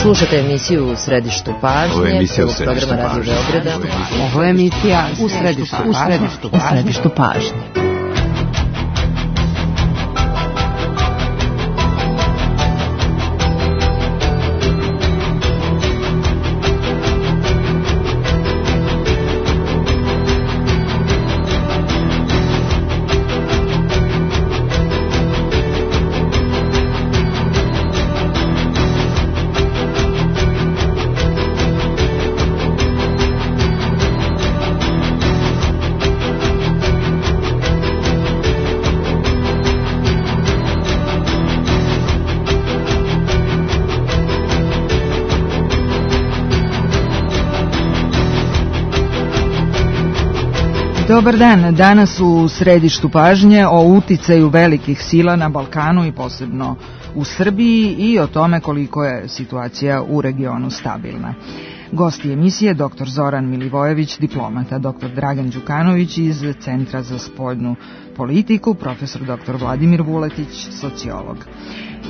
Slušate emisiju U središtu pažnje, prvog programa Radio Beograda. Ovo je emisija U središtu pažnje. Dobar dan, danas u središtu pažnje o uticaju velikih sila na Balkanu i posebno u Srbiji i o tome koliko je situacija u regionu stabilna. Gosti emisije dr. Zoran Milivojević, diplomata, dr. Dragan Đukanović iz Centra za spoljnu politiku, profesor dr. Vladimir Vuletić, sociolog.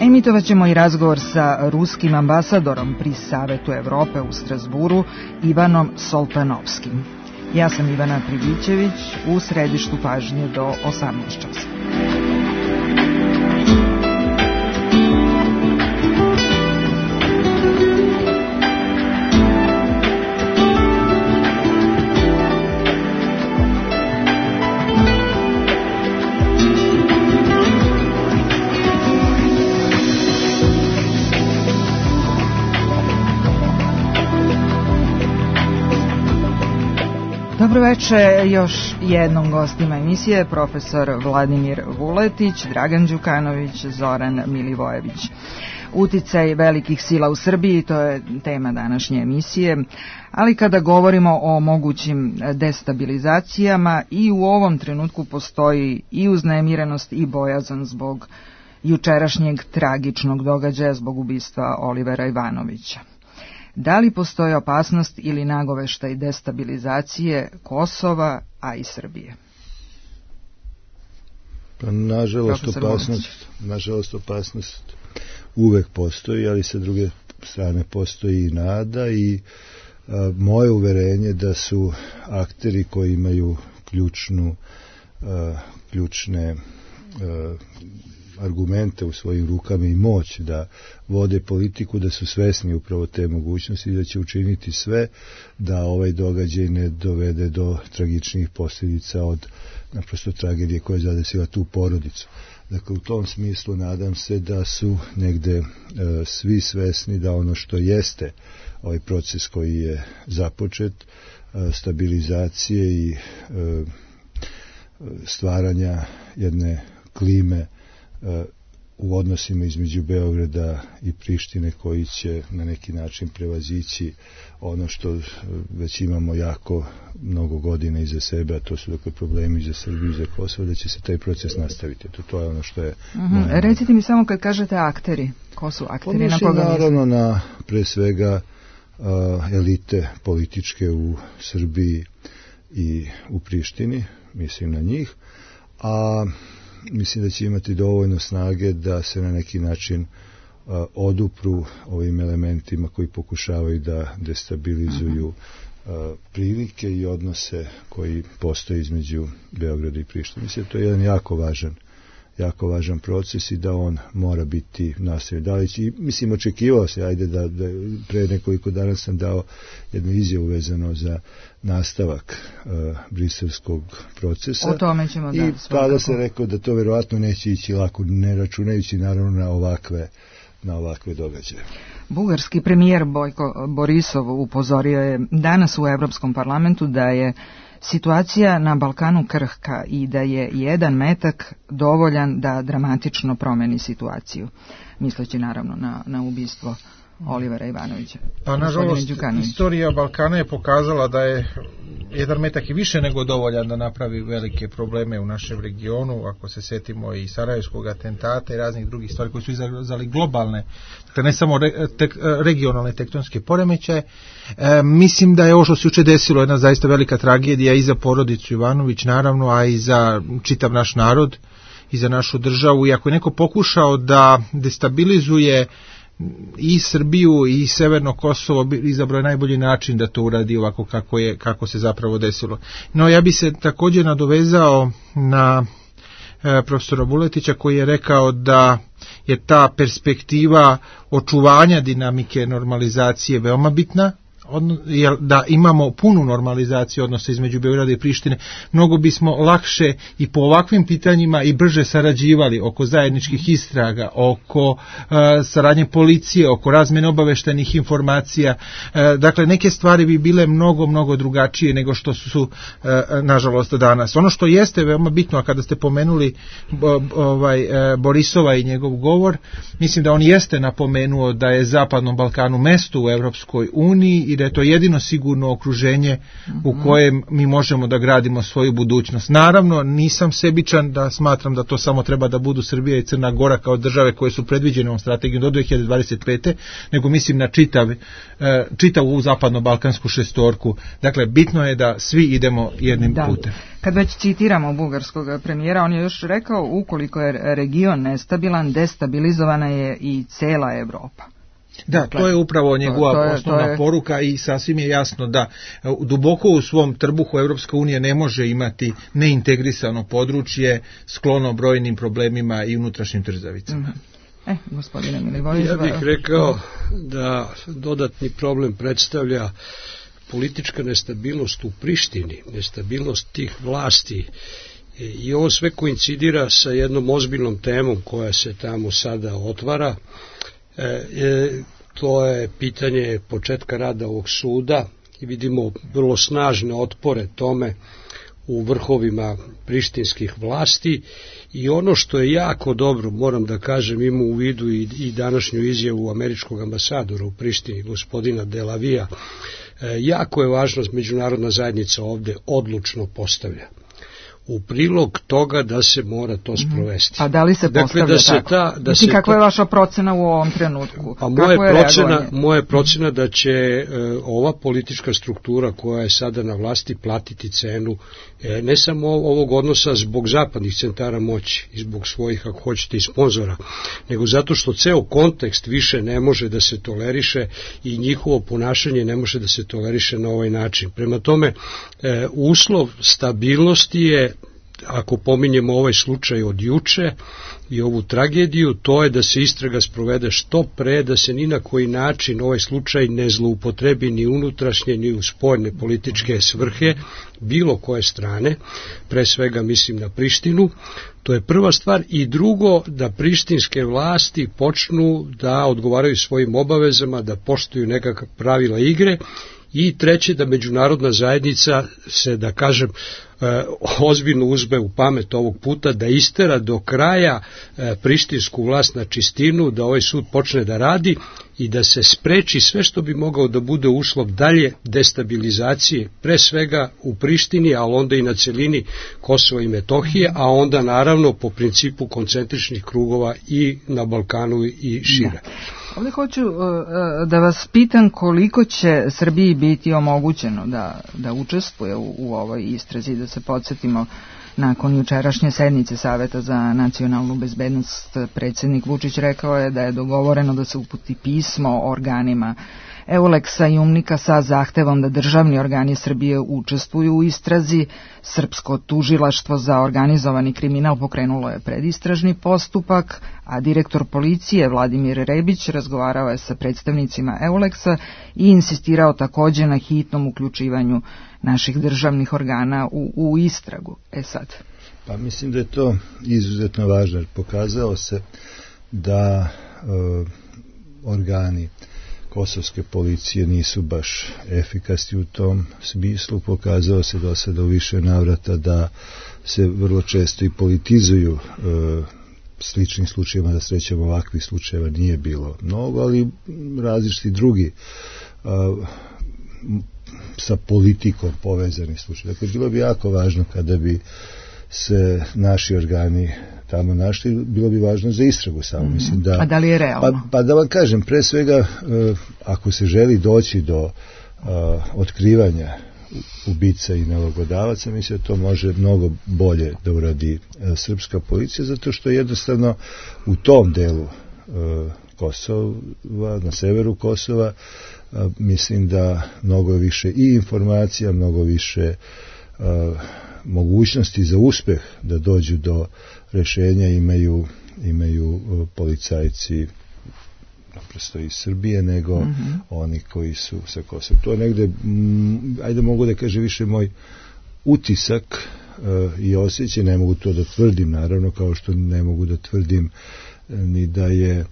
Emitovat ćemo i razgovor sa ruskim ambasadorom pri Savetu Evrope u Strasburu, Ivanom Soltanovskim. Ja sam Ivana Privićević, u središtu pažnje do 18 časova. Dobro večer još jednom gostima emisije, profesor Vladimir Vuletić, Dragan Đukanović, Zoran Milivojević. Uticaj velikih sila u Srbiji, to je tema današnje emisije, ali kada govorimo o mogućim destabilizacijama i u ovom trenutku postoji i uznemirenost i bojazan zbog jučerašnjeg tragičnog događaja zbog ubistva Olivera Ivanovića. Da li postoji opasnost ili nagoveštaj destabilizacije Kosova, a i Srbije? Pa, nažalost opasnost uvek postoji, ali sa druge strane postoji i nada i moje uverenje da su akteri koji imaju ključne argumente u svojim rukama i moć da vode politiku, da su svesni upravo te mogućnosti i da će učiniti sve da ovaj događaj ne dovede do tragičnih posljedica od naprosto tragedije koja je zadesila tu porodicu. Dakle, u tom smislu nadam se da su negde svi svesni da ono što jeste ovaj proces koji je započet, stabilizacije i stvaranja jedne klime u odnosima između Beograda i Prištine koji će na neki način prevazići ono što već imamo jako mnogo godina iza sebe, a to su dakle problemi za Srbiju i za Kosovo, da će se taj proces nastaviti. To je ono što je... Recite mi samo kad kažete akteri, ko su akteri, na koga mislim? Naravno na pre svega elite političke u Srbiji i u Prištini, mislim na njih, a mislim da će imati dovoljno snage da se na neki način odupru ovim elementima koji pokušavaju da destabilizuju prilike i odnose koji postoje između Beograda i Prištine. Mislim da to je jedan jako važan proces i da on mora biti nastavljen. Da li će, mislim, očekivao se, da pre nekoliko dana sam dao jednu izjavu vezano za nastavak briselskog procesa. O tome ćemo i tada se rekao da to verovatno neće ići lako, ne računajući naravno na ovakve događaje. Bugarski premijer Bojko Borisov upozorio je danas u Evropskom parlamentu da je situacija na Balkanu krhka i da je jedan metak dovoljan da dramatično promeni situaciju, misleći naravno na ubistvo Olivera Ivanovića. Pa nažalost, istorija Balkana je pokazala da je jedan metak i više nego dovoljan da napravi velike probleme u našem regionu, ako se setimo i Sarajevskog atentata i raznih drugih stvari koji su izazvali globalne, dakle ne samo regionalne tektonske poremećaje. Mislim da je ovo što se juče desilo jedna zaista velika tragedija i za porodicu Ivanović naravno, a i za čitav naš narod i za našu državu. I ako je neko pokušao da destabilizuje i Srbiju i Severno Kosovo izabrao najbolji način da to uradi ovako kako se zapravo desilo. No, ja bi se također nadovezao na profesora Vuletića koji je rekao da je ta perspektiva očuvanja dinamike normalizacije veoma bitna, da imamo punu normalizaciju odnosa između Beograda i Prištine, mnogo bismo lakše i po ovakvim pitanjima i brže sarađivali oko zajedničkih istraga, oko saradnje policije, oko razmjene obaveštajnih informacija. Dakle, neke stvari bi bile mnogo drugačije nego što su nažalost danas. Ono što jeste veoma bitno, a kada ste pomenuli Borisova i njegov govor, mislim da on jeste napomenuo da je Zapadnom Balkanu mesto u Evropskoj uniji i da je to jedino sigurno okruženje u kojem mi možemo da gradimo svoju budućnost. Naravno, nisam sebičan da smatram da to samo treba da budu Srbija i Crna Gora kao države koje su predviđene ovom strategijom do 2025. nego mislim na čitavu zapadno-balkansku šestorku. Dakle, bitno je da svi idemo jednim putem. Kad već citiramo bugarskog premijera, on je još rekao, ukoliko je region nestabilan, destabilizovana je i cela Evropa. Da, to je upravo njegova osnovna poruka i sasvim je jasno da duboko u svom trbuhu Evropska unija ne može imati neintegrisano područje sklono brojnim problemima i unutrašnjim trzavicama. Gospodine Milivojević. Ja bih rekao da dodatni problem predstavlja politička nestabilnost u Prištini, nestabilnost tih vlasti i ovo sve koincidira sa jednom ozbiljnom temom koja se tamo sada otvara. To je pitanje početka rada ovog suda i vidimo vrlo snažne otpore tome u vrhovima prištinskih vlasti i ono što je jako dobro, moram da kažem, ima u vidu i današnju izjavu američkog ambasadora u Prištini, gospodina Delavija, jako je važno da međunarodna zajednica ovde odlučno postavlja u prilog toga da se mora to sprovesti. A da li se postavlja tako? Kakva je vaša procena u ovom trenutku? Pa moja procena da će ova politička struktura koja je sada na vlasti platiti cenu ne samo ovog odnosa zbog zapadnih centara moći i zbog svojih, ako hoćete, i sponzora, nego zato što ceo kontekst više ne može da se toleriše i njihovo ponašanje ne može da se toleriše na ovaj način. Prema tome, uslov stabilnosti je, ako pominjemo ovaj slučaj od juče i ovu tragediju, to je da se istraga sprovede što pre, da se ni na koji način ovaj slučaj ne zloupotrebi ni unutrašnje ni u spoljne političke svrhe bilo koje strane, pre svega mislim na Prištinu. To je prva stvar. I drugo, da prištinske vlasti počnu da odgovaraju svojim obavezama, da poštuju nekakva pravila igre. I treće, da međunarodna zajednica se, da kažem, ozbiljno uzme u pamet ovog puta, da istera do kraja prištinsku vlast na čistinu, da ovaj sud počne da radi i da se spreči sve što bi mogao da bude uslov dalje destabilizacije, pre svega u Prištini, ali onda i na celini Kosova i Metohije, a onda naravno po principu koncentričnih krugova i na Balkanu i šire. Ovdje hoću da vas pitam koliko će Srbiji biti omogućeno da učestvuje u ovoj istrazi, da se podsjetimo nakon jučerašnje sednice Saveta za nacionalnu bezbednost. Predsjednik Vučić rekao je da je dogovoreno da se uputi pismo organima Euleksa i UNMIK-a sa zahtevom da državni organi Srbije učestvuju u istrazi. Srpsko tužilaštvo za organizovani kriminal pokrenulo je predistražni postupak, a direktor policije Vladimir Rebić razgovarao je sa predstavnicima Euleksa i insistirao također na hitnom uključivanju naših državnih organa u istragu. Sad. Pa mislim da je to izuzetno važno, jer pokazao se da organi kosovske policije nisu baš efikasni u tom smislu. Pokazao se do sada u više navrata da se vrlo često i politizuju sličnim slučajevima, da srećemo ovakvih slučajeva nije bilo mnogo, ali različiti drugi sa politikom povezani slučaj. Dakle, bilo bi jako važno kada bi se naši organi tamo našli, bilo bi važno za istragu samo. Mislim da, a da li je realno? Pa da vam kažem, pre svega, ako se želi doći do otkrivanja ubica i nalogodavaca, mislim da to može mnogo bolje da uradi srpska policija, zato što jednostavno u tom delu Kosova, na severu Kosova. Mislim da mnogo više i informacija, mnogo više mogućnosti za uspeh da dođu do rešenja imaju policajci naprosto iz Srbije nego oni koji su sa Kosova. To je negde, ajde mogu da kažem više moj utisak i osjećaj, ne mogu to da tvrdim naravno, kao što ne mogu da tvrdim ni da je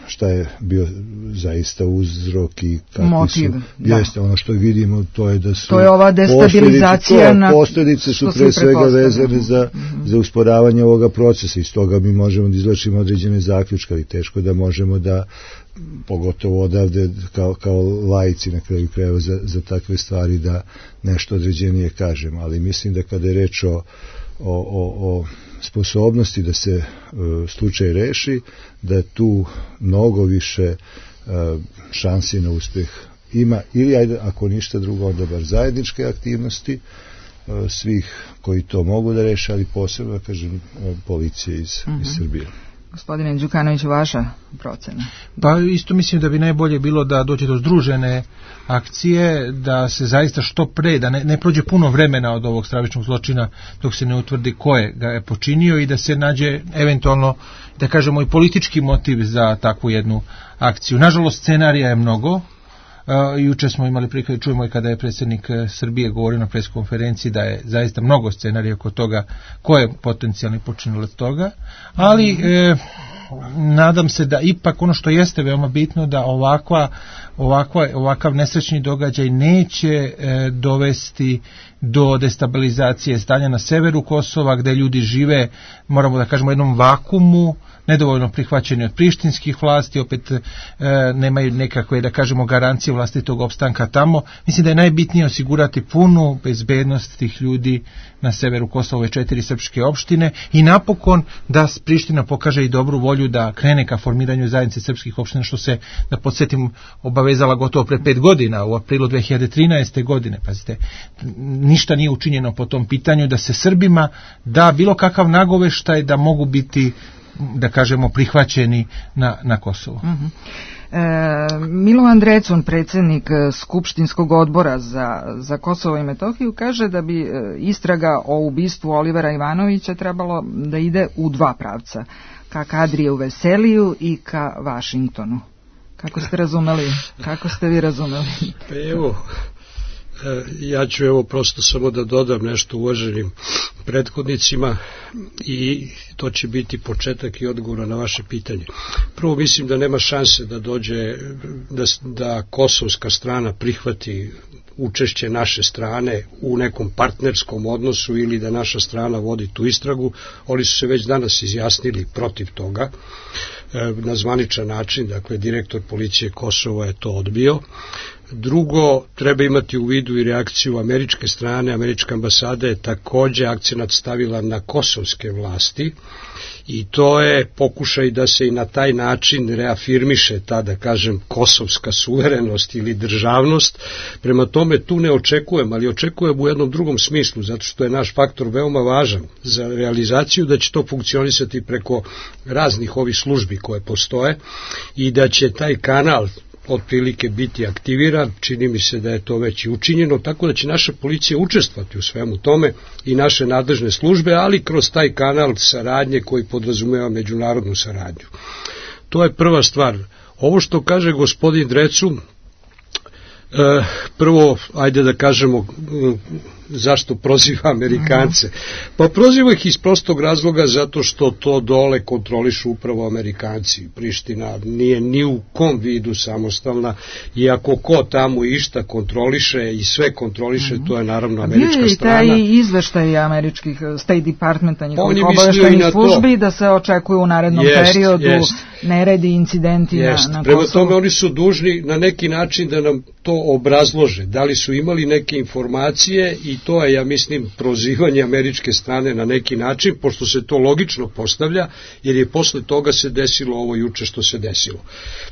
šta je bio zaista uzrok i kakvi motiv, su, jeste ono što vidimo, to je da su to je ova destabilizacija posljedice su pre svega vezane za usporavanje ovoga procesa, iz toga mi možemo da izvlačimo određene zaključke, ali teško da možemo da, pogotovo odavde kao laici na kraju krajeva za takve stvari, da nešto određenije kažemo, ali mislim da kada je reč o sposobnosti da se slučaj reši, da je tu mnogo više šansi na uspeh ima, ili ajde, ako ništa drugo, onda bar zajedničke aktivnosti svih koji to mogu da reše, ali posebno, da kažem, policije iz Srbije. Gospodine Đukanović, vaša procena? Pa isto mislim da bi najbolje bilo da dođe do združene akcije, da se zaista što pre, da ne prođe puno vremena od ovog stravičnog zločina dok se ne utvrdi ko je ga je počinio i da se nađe eventualno, da kažemo, i politički motiv za takvu jednu akciju. Nažalost, scenarija je mnogo. Juče smo imali priliku da čujemo i kada je predsjednik Srbije govorio na preskonferenciji da je zaista mnogo scenarija oko toga ko je potencijalni počinilac toga, ali nadam se da ipak ono što jeste veoma bitno, da ovakav nesrećni događaj neće dovesti do destabilizacije stanja na severu Kosova, gde ljudi žive, moramo da kažemo, u jednom vakumu, nedovoljno prihvaćeni od prištinskih vlasti, opet nemaju nekakve, da kažemo, garancije vlastitog opstanka tamo. Mislim da je najbitnije osigurati punu bezbednost tih ljudi na severu Kosova, ove 4 srpske opštine, i napokon da Priština pokaže i dobru volju da krene ka formiranju zajednice srpskih opština, što se, da podsjetim, obavezala gotovo pre 5 godina, u aprilu 2013. godine. Pazite, ništa nije učinjeno po tom pitanju, da se Srbima da bilo kakav nagoveštaj da mogu biti, da kažemo, prihvaćeni na Kosovo. Milovan Drecun, predsjednik Skupštinskog odbora za Kosovo i Metohiju, kaže da bi istraga o ubistvu Olivera Ivanovića trebalo da ide u 2 pravca, ka Kadriju Veseliju i ka Vašingtonu. Kako ste razumeli? Kako ste vi razumeli? Pa evo, ja ću prosto samo da dodam nešto uvaženim prethodnicima i to će biti početak i odgovora na vaše pitanje. Prvo, mislim da nema šanse da dođe, da kosovska strana prihvati učešće naše strane u nekom partnerskom odnosu ili da naša strana vodi tu istragu. Oni su se već danas izjasnili protiv toga na zvaničan način, dakle direktor policije Kosova je to odbio. Drugo, treba imati u vidu i reakciju američke strane. Američka ambasada je takođe akcenat stavila na kosovske vlasti i to je pokušaj da se i na taj način reafirmiše ta, da kažem, kosovska suverenost ili državnost. Prema tome tu ne očekujem, ali očekujem u jednom drugom smislu, zato što je naš faktor veoma važan za realizaciju, da će to funkcionisati preko raznih ovih službi koje postoje i da će taj kanal otprilike biti aktiviran, čini mi se da je to već i učinjeno, tako da će naša policija učestvati u svemu tome i naše nadležne službe, ali kroz taj kanal saradnje koji podrazumeva međunarodnu saradnju. To je prva stvar. Ovo što kaže gospodin Drecun, prvo, ajde da kažemo zašto proziva Amerikance. Pa proziva ih iz prostog razloga zato što to dole kontrolišu upravo Amerikanci. Priština nije ni u kom vidu samostalna i ako ko tamo išta kontroliše i sve kontroliše, to je naravno američka strana. Bio je i taj izveštaj američkih State Departmenta, njihovih obaveštajnih službi, da se očekuju u narednom periodu neredi, incidenti na Kosovu. Prema tome oni su dužni na neki način da nam to obrazlože, da li su imali neke informacije, i to je, ja mislim, prozivanje američke strane na neki način, pošto se to logično postavlja, jer je posle toga se desilo ovo juče što se desilo.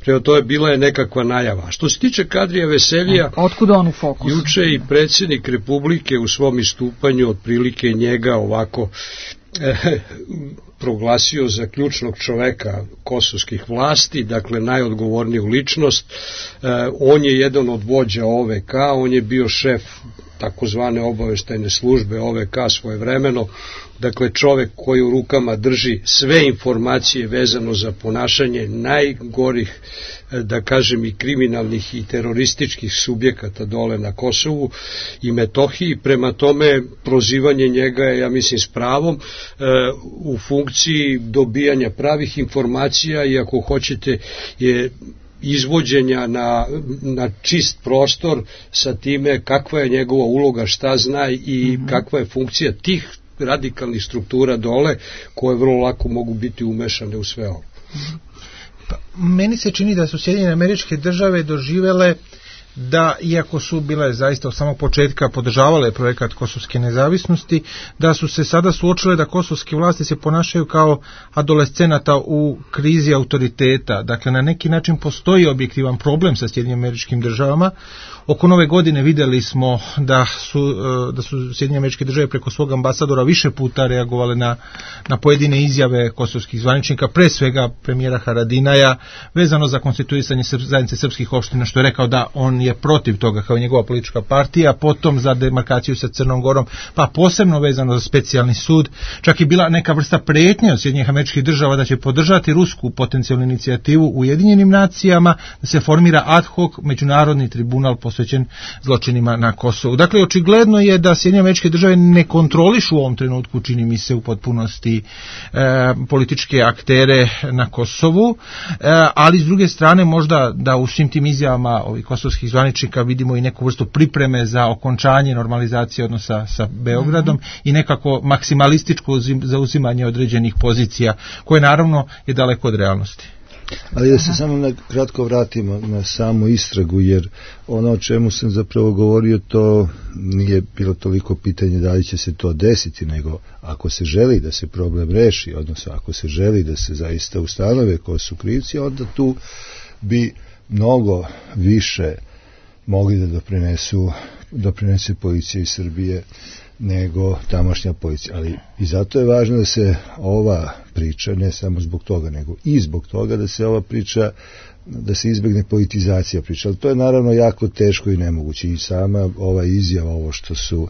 Prema to je bila nekakva najava. Što se tiče Kadrija Veselija, otkud on u fokusu? Juče i predsjednik Republike u svom istupanju otprilike njega ovako proglasio za ključnog čoveka kosovskih vlasti, dakle najodgovorniju ličnost. On je jedan od vođa OVK, on je bio šef takozvane obaveštajne službe OVK svojevremeno, dakle čovek koji u rukama drži sve informacije vezano za ponašanje najgorih, da kažem, i kriminalnih i terorističkih subjekata dole na Kosovu i Metohiji. Prema tome, prozivanje njega je, ja mislim, s pravom u funkciji dobijanja pravih informacija i, ako hoćete, je izvođenja na čist prostor sa time kakva je njegova uloga, šta zna i kakva je funkcija tih radikalnih struktura dole, koje vrlo lako mogu biti umešane u sve ovo. Meni se čini da su Sjedinjene Američke Države doživele da, iako su bile zaista od samog početka podržavale projekat kosovske nezavisnosti, da su se sada suočile da kosovske vlasti se ponašaju kao adolescenata u krizi autoriteta. Dakle, na neki način postoji objektivan problem sa Sjedinjenim Američkim Državama. Oko Nove godine vidjeli smo da su Sjedinjene Američke Države preko svog ambasadora više puta reagovale na pojedine izjave kosovskih zvaničnika, pre svega premijera Haradinaja, vezano za konstituisanje zajednice srpskih opština, što je rekao da on je protiv toga kao njegova politička partija, potom za demarkaciju sa Crnom Gorom, pa posebno vezano za specijalni sud. Čak je bila neka vrsta pretnje od Sjedinjenih Američkih Država da će podržati rusku potencijalnu inicijativu u Ujedinjenim nacijama, da se formira ad hoc međunarodni tribunal posvećen zločinima na Kosovu. Dakle, očigledno je da Sjedinjene Američke Države ne kontrolišu u ovom trenutku, čini mi se, u potpunosti političke aktere na Kosovu, ali s druge strane možda da u svim tim izjavama ovih kosovskih zvaničnika vidimo i neku vrstu pripreme za okončanje normalizacije odnosa sa Beogradom i nekako maksimalističko zauzimanje određenih pozicija, koje naravno je daleko od realnosti. Ali da se samo kratko vratimo na samu istragu, jer ono o čemu sam zapravo govorio, to nije bilo toliko pitanje da li će se to desiti, nego ako se želi da se problem reši, odnosno ako se želi da se zaista ustanove ko su krivci, onda tu bi mnogo više mogli da doprinese policija iz Srbije nego tamošnja policija. Ali i zato je važno da se ova priča, ne samo zbog toga, nego i zbog toga da se ova priča, da se izbegne politizacija priča. Ali to je naravno jako teško i nemoguće. I sama ova izjava, ovo što su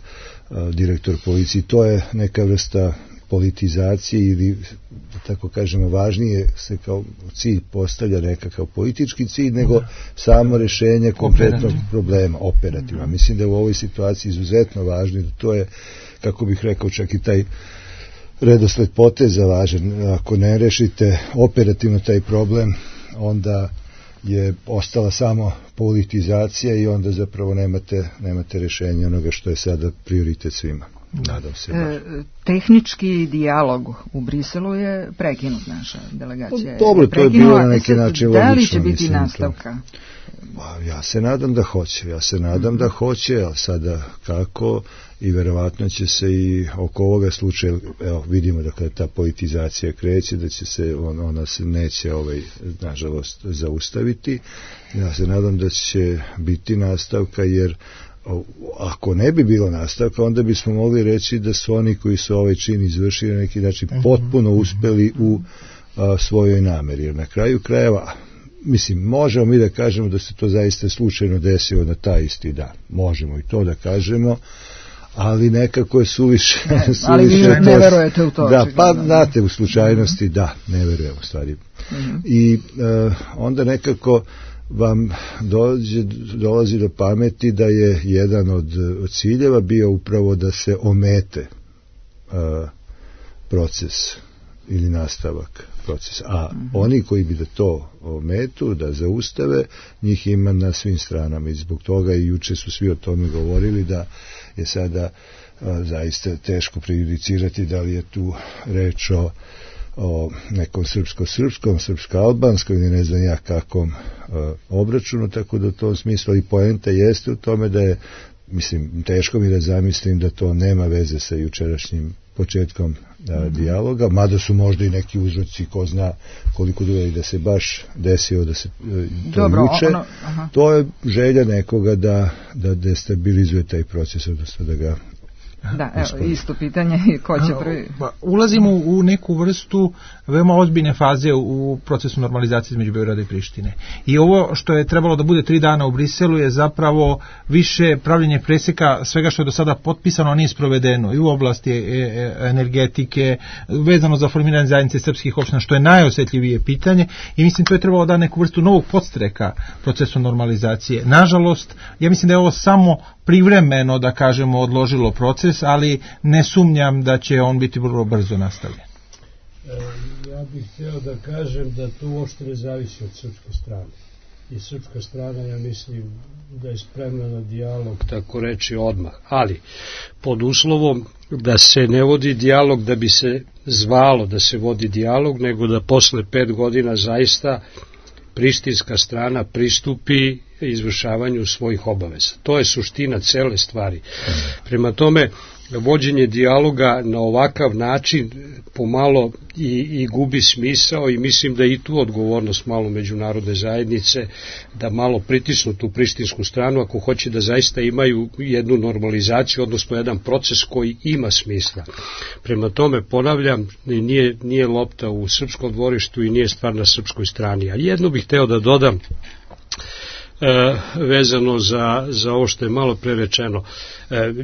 direktor policije, to je neka vrsta politizacije ili, da tako kažemo, važnije se kao cilj postavlja nekakav politički cilj nego samo rešenje konkretnog problema, operativno. Mislim da je u ovoj situaciji izuzetno važno, da to je, kako bih rekao, čak i taj redosled poteza važan. Ako ne rešite operativno taj problem, onda je ostala samo politizacija i onda zapravo nemate rešenje onoga što je sada prioritet svima. Nadam se. Tehnički dijalog u Briselu je prekinut, naša delegacija. Dobro, to je bilo na neki način logično. Da li će biti nastavka? Ja se nadam da hoće, ali sada kako, i verovatno će se i oko ovoga slučaja, evo vidimo da kada ta politizacija kreće, da će se ona se neće nažalost zaustaviti. Ja se nadam da će biti nastavka, jer ako ne bi bilo nastavka, onda bismo mogli reći da su oni koji su ovaj čin izvršili na neki način potpuno uspeli u svojoj nameri. Jer na kraju krajeva, mislim, možemo mi da kažemo da se to zaista slučajno desilo na taj isti dan. Možemo i to da kažemo, ali nekako je suviše. Ali vi ne verujete u to. Da, pa znate, u slučajnosti ne verujemo stvari. I onda nekako vam dolazi do pameti da je jedan od ciljeva bio upravo da se omete proces ili nastavak procesa. A oni koji bi da to ometu, da zaustave, njih ima na svim stranama i zbog toga i juče su svi o tome govorili da je sada zaista teško prejudicirati da li je tu reč o nekom srpsko-srpskom, srpsko-albanskom ili ne znam ja kakvom obračunu, tako da u tom smislu i poenta jeste u tome da je, mislim, teško mi da zamislim da to nema veze sa jučerašnjim početkom dijaloga, mada su možda i neki uzroci, ko zna koliko dugo da se baš desio da se to juče. To je želja nekoga da destabilizuje taj proces, odnosno da ga Da, evo, isto pitanje, ko će prvi? Ulazimo u neku vrstu veoma ozbiljne faze u procesu normalizacije između Beograda i Prištine. I ovo što je trebalo da bude 3 dana u Briselu je zapravo više pravljenje preseka svega što je do sada potpisano, a nije sprovedeno i u oblasti energetike, vezano za formiranje zajednice srpskih opština, što je najosetljivije pitanje, i mislim to je trebalo da neku vrstu novog podstreka procesu normalizacije. Nažalost, ja mislim da je ovo samo privremeno, da kažemo, odložilo proces, ali ne sumnjam da će on biti vrlo brzo nastavljen. Ja bih htio da kažem da to uopšte ne zavisi od srpske strane. I srpska strana, ja mislim, da je spremna na dijalog, tako reći, odmah. Ali, pod uslovom da se ne vodi dijalog da bi se zvalo da se vodi dijalog, nego da posle 5 godina zaista prištinska strana pristupi izvršavanju svojih obaveza. To je suština cele stvari. Prema tome, vođenje dijaloga na ovakav način pomalo i gubi smisao, i mislim da i tu odgovornost malo međunarodne zajednice da malo pritisnu tu prištinsku stranu ako hoće da zaista imaju jednu normalizaciju, odnosno jedan proces koji ima smisla. Prema tome, ponavljam, nije lopta u srpskom dvorištu i nije stvar na srpskoj strani. A jedno bih hteo da dodam vezano za ovo što je malo pre rečeno.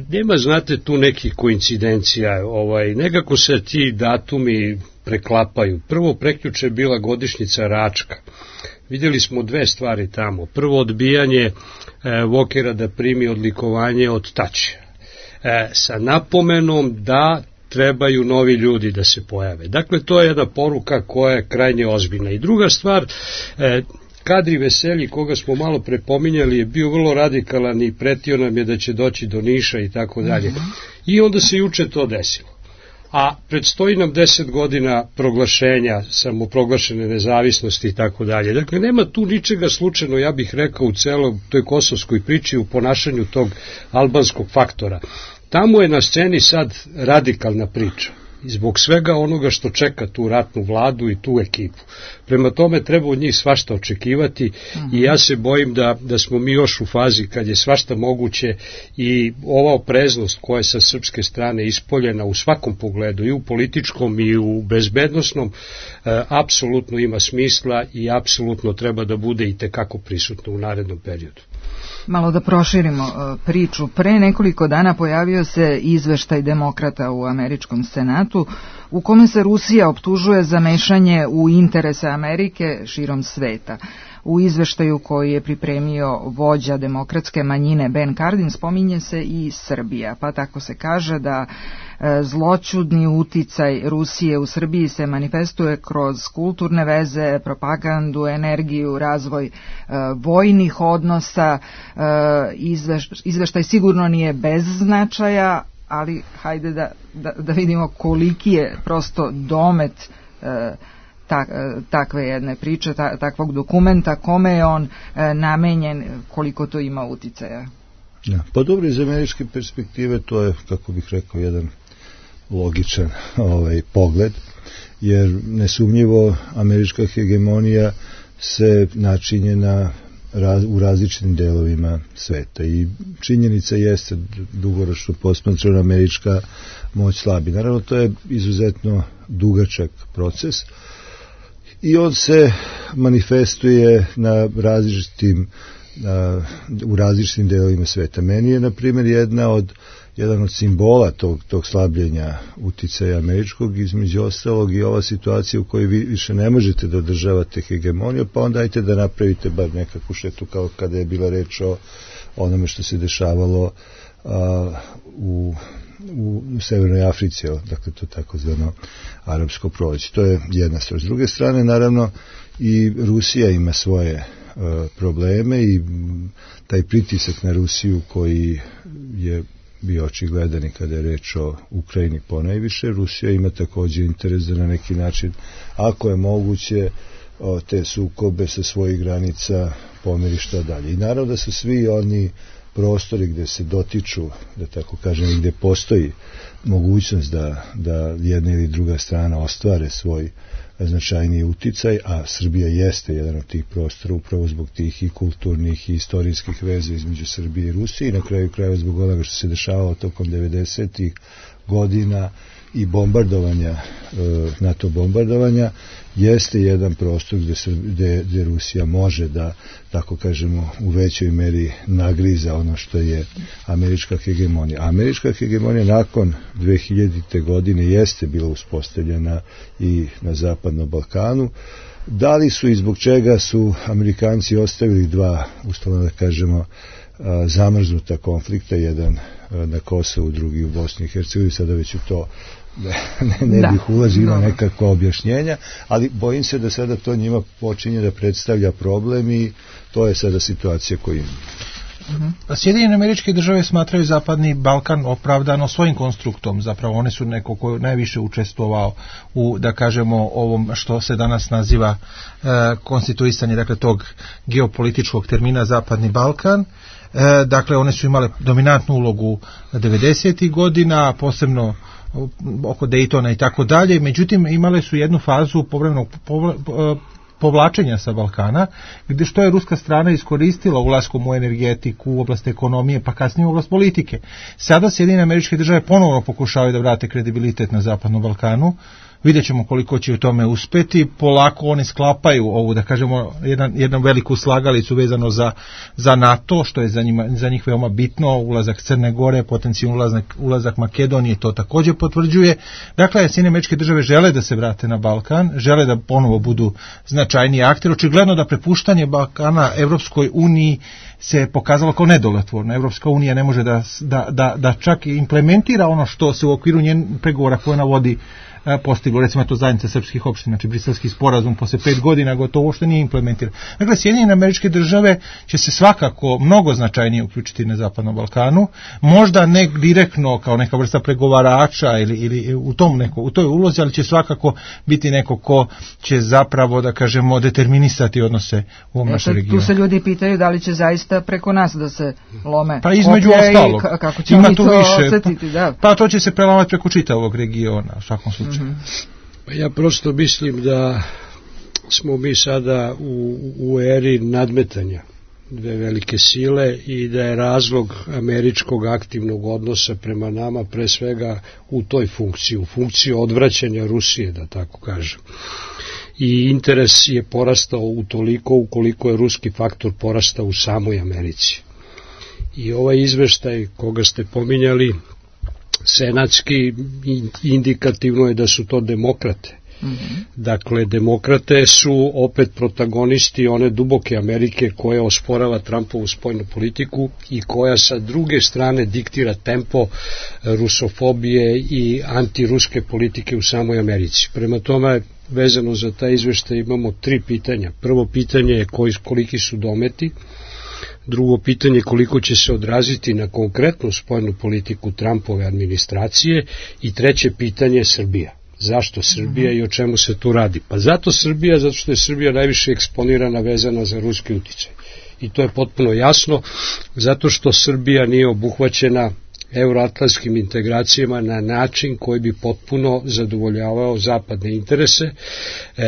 Nema, znate, tu nekih koincidencija, nekako se ti datumi preklapaju. Prvo, prekjuče je bila godišnjica Račka. Vidjeli smo 2 stvari tamo. Prvo, odbijanje Vokera da primi odlikovanje od Tačija, sa napomenom da trebaju novi ljudi da se pojave. Dakle, to je jedna poruka koja je krajnje ozbiljna. I druga stvar, Kadri Veselji, koga smo malo prepominjali, je bio vrlo radikalan i pretio nam je da će doći do Niša i tako dalje. I onda se juče to desilo. A predstoji nam 10 godina proglašenja, samoproglašene nezavisnosti i tako dalje. Dakle, nema tu ničega slučajno, ja bih rekao, u celoj toj kosovskoj priči, u ponašanju tog albanskog faktora. Tamo je na sceni sad radikalna priča, zbog svega onoga što čeka tu ratnu vladu i tu ekipu. Prema tome, treba od njih svašta očekivati i ja se bojim da smo mi još u fazi kad je svašta moguće, i ova opreznost koja je sa srpske strane ispoljena u svakom pogledu, i u političkom i u bezbednosnom, apsolutno ima smisla i apsolutno treba da bude i tekako prisutno u narednom periodu. Malo da proširimo priču. Pre nekoliko dana pojavio se izveštaj demokrata u američkom senatu u kome se Rusija optužuje za mešanje u interese Amerike širom sveta. U izveštaju koji je pripremio vođa demokratske manjine Ben Cardin spominje se i Srbija, pa tako se kaže da zloćudni uticaj Rusije u Srbiji se manifestuje kroz kulturne veze, propagandu, energiju, razvoj vojnih odnosa. Izveštaj sigurno nije bez značaja, ali hajde da vidimo koliki je prosto domet takve jedne priče, takvog dokumenta, kome je on namenjen, koliko to ima uticaja. Ja, pa dobro, iz američke perspektive to je, kako bih rekao, jedan logičan pogled, jer nesumnjivo američka hegemonija se načinje u različitim delovima sveta, i činjenica jeste, dugoročno posmatrana, američka moć slabi. Naravno, to je izuzetno dugačak proces i on se manifestuje u različitim delovima sveta. Meni je, na primjer, jedan od simbola tog slabljenja uticaja američkog, između ostalog, i ova situacija u kojoj vi više ne možete da održavate hegemoniju, pa onda ajte da napravite bar nekakvu štetu, kao kada je bila reč o onome što se dešavalo u Severnoj Africi, dakle to takozvano arapsko proleće. To je jedna stvar. S druge strane, naravno, i Rusija ima svoje probleme, i taj pritisak na Rusiju koji je bio očigledan i kada je reč o Ukrajini ponajviše. Rusija ima također interes da na neki način, ako je moguće, te sukobe sa svojih granica pomeri što dalje. I naravno da su svi oni prostori gde se dotiču, da tako kažem, gde postoji mogućnost da jedna ili druga strana ostvare svoj značajniji uticaj, a Srbija jeste jedan od tih prostora upravo zbog tih i kulturnih i istorijskih veza između Srbije i Rusije i na kraju krajeva zbog onoga što se dešavalo tokom 90-ih godina i bombardovanja, NATO bombardovanja, jeste jedan prostor gde Rusija može da, tako kažemo, u većoj meri nagriza ono što je američka hegemonija. Američka hegemonija nakon 2000. godine jeste bila uspostavljena i na Zapadnom Balkanu. Da li su i zbog čega su Amerikanci ostavili dva, uslovno da kažemo, zamrznuta konflikta, jedan na Kosovu, drugi u Bosni i Hercegovini, sada već u to ne bih ulazio nekakva objašnjenja, ali bojim se da sada to njima počinje da predstavlja problem i to je sada situacija koju imamo. Sjedinjene Američke Države smatraju Zapadni Balkan opravdano svojim konstruktom, zapravo one su neko ko najviše učestvovao u, da kažemo, ovom što se danas naziva konstituisanje, dakle tog geopolitičkog termina Zapadni Balkan. Dakle, one su imale dominantnu ulogu 90. godina, posebno oko Daytona i tako dalje, međutim imale su jednu fazu povremenog povlačenja sa Balkana, gdje što je ruska strana iskoristila ulaskom u energetiku, u oblast ekonomije, pa kasnije u oblast politike. Sada Sjedinjene Američke Države ponovno pokušavaju da vrate kredibilitet na Zapadnom Balkanu. Vidjet ćemo koliko će u tome uspeti. Polako oni sklapaju ovu, da kažemo, jednu veliku slagalicu vezano za NATO, što je za njih veoma bitno, ulazak Crne Gore, potencijalni ulazak Makedonije, to također potvrđuje. Dakle, Sjedinjene Američke Države žele da se vrate na Balkan, žele da ponovo budu značajniji akter. Očigledno da prepuštanje Balkana Evropskoj uniji se pokazalo kao nedjelotvorno. Evropska unija ne može da čak implementira ono što se u okviru njen pregovora koje navodi postiglo, recimo to zajednica srpskih opština, znači Briselski sporazum posle 5 godina gotovo što nije implementiran. Dakle, Sjedinjene Američke Države će se svakako mnogo značajnije uključiti na Zapadnom Balkanu, možda ne direktno kao neka vrsta pregovarača ili u toj ulozi, ali će svakako biti neko ko će zapravo, da kažemo, determinisati odnose u ovom našem regionu. Tu se ljudi pitaju da li će zaista preko nas da se lome. Pa između ostalog. Kako ćemo mi to osetiti, da. Pa to će se prelamati preko čitavog regiona, u svakom slučaju. Ja prosto mislim da smo mi sada u eri nadmetanja dve velike sile i da je razlog američkog aktivnog odnosa prema nama pre svega u toj funkciji, u funkciji odvraćanja Rusije, da tako kažem. I interes je porastao utoliko ukoliko je ruski faktor porastao u samoj Americi. I ovaj izveštaj koga ste pominjali, senatski, indikativno je da su to demokrate. Dakle, demokrate su opet protagonisti one duboke Amerike koja osporava Trumpovu spoljnu politiku i koja sa druge strane diktira tempo rusofobije i antiruske politike u samoj Americi. Prema tome, vezano za taj izveštaj imamo 3 pitanja. Prvo pitanje je koliki su dometi. Drugo pitanje je koliko će se odraziti na konkretnu spoljnu politiku Trumpove administracije i treće pitanje je Srbija. Zašto Srbija i o čemu se tu radi? Pa zato što je Srbija najviše eksponirana vezana za ruski uticaj. I to je potpuno jasno, zato što Srbija nije obuhvaćena euroatlantskim integracijama na način koji bi potpuno zadovoljavao zapadne interese,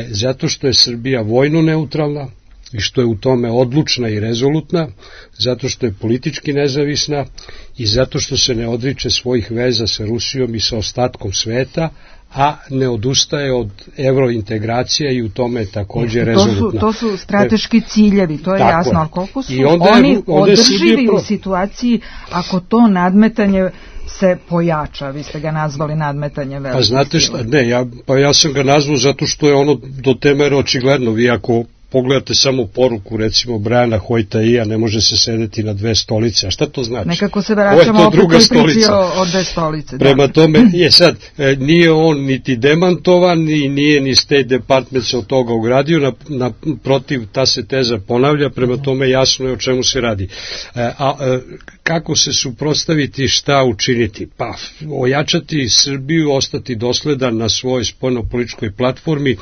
zato što je Srbija vojno neutralna, i što je u tome odlučna i rezolutna, zato što je politički nezavisna i zato što se ne odriče svojih veza sa Rusijom i sa ostatkom sveta, a ne odustaje od evrointegracija i u tome je također rezolutna. To su strateški ciljevi, to je jasno, ali koliko su oni održivi u situaciji ako to nadmetanje se pojača, vi ste ga nazvali nadmetanje velike. Pa znate šta, ja sam ga nazvao zato što je ono do te mere očigledno, vi ako pogledate samo poruku, recimo Briana Hoyta i ja, ne može se sedeti na 2 stolice. A šta to znači? Nekako se vraćamo opet u priči o 2 stolice. Prema tome, nije on niti demantovan i nije ni State Department se od toga ogradio, naprotiv, ta se teza ponavlja, prema tome jasno je o čemu se radi. Kako se suprotstaviti, šta učiniti? Pa, ojačati Srbiju, ostati dosledan na svojoj spoljnopolitičkoj platformi,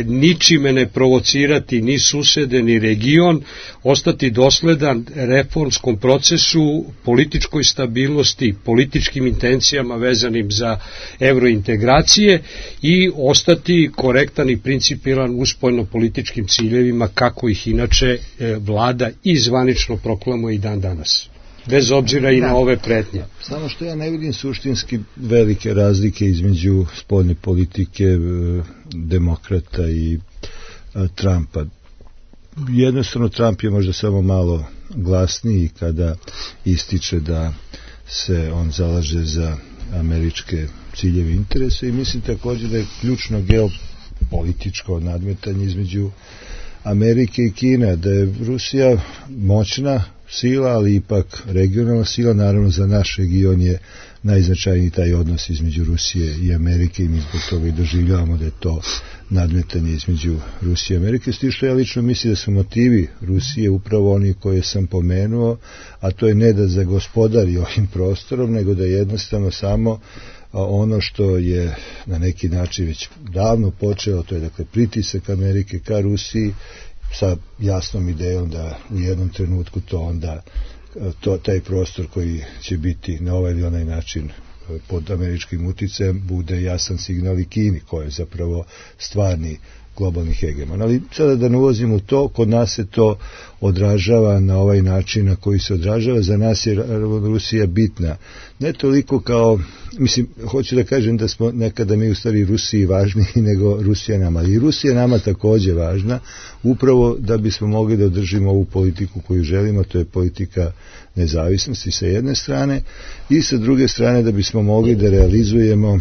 ničime ne provocirati dirati ni susede ni region, ostati dosledan reformskom procesu, političkoj stabilnosti, političkim intencijama vezanim za evrointegracije i ostati korektan i principijelan u spoljnopolitičkim ciljevima kako ih inače vlada i zvanično proklamuje i dan danas. Bez obzira i na ove pretnje. Samo što ja ne vidim suštinski velike razlike između spoljne politike demokrata i Trumpa. Jednostavno Trump je možda samo malo glasniji kada ističe da se on zalaže za američke ciljeve i interese i mislim također da je ključno geopolitičko nadmetanje između Amerike i Kine, da je Rusija moćna sila, ali ipak regionalna sila, naravno za naš region je najznačajniji taj odnos između Rusije i Amerike i mi zbog toga i doživljavamo da je to nadmetanje između Rusije i Amerike, s tim što ja lično mislim da su motivi Rusije upravo oni koje sam pomenuo, a to je ne da zagospodari ovim prostorom, nego da jednostavno samo ono što je na neki način već davno počeo, to je dakle pritisak Amerike ka Rusiji sa jasnom idejom da u jednom trenutku to onda taj prostor koji će biti na ovaj ili onaj način pod američkim uticajem bude jasan signal i Kini koji je zapravo stvarni globalni hegemon. Ali sada da ne ulazimo u to, kod nas se to odražava na ovaj način na koji se odražava. Za nas je Rusija bitna. Ne toliko kao, mislim, hoću da kažem da smo nekada mi u stvari Rusiji važniji nego Rusija nama. Ali i Rusija nama također važna, upravo da bismo mogli da održimo ovu politiku koju želimo, to je politika nezavisnosti sa jedne strane i sa druge strane da bismo mogli da realizujemo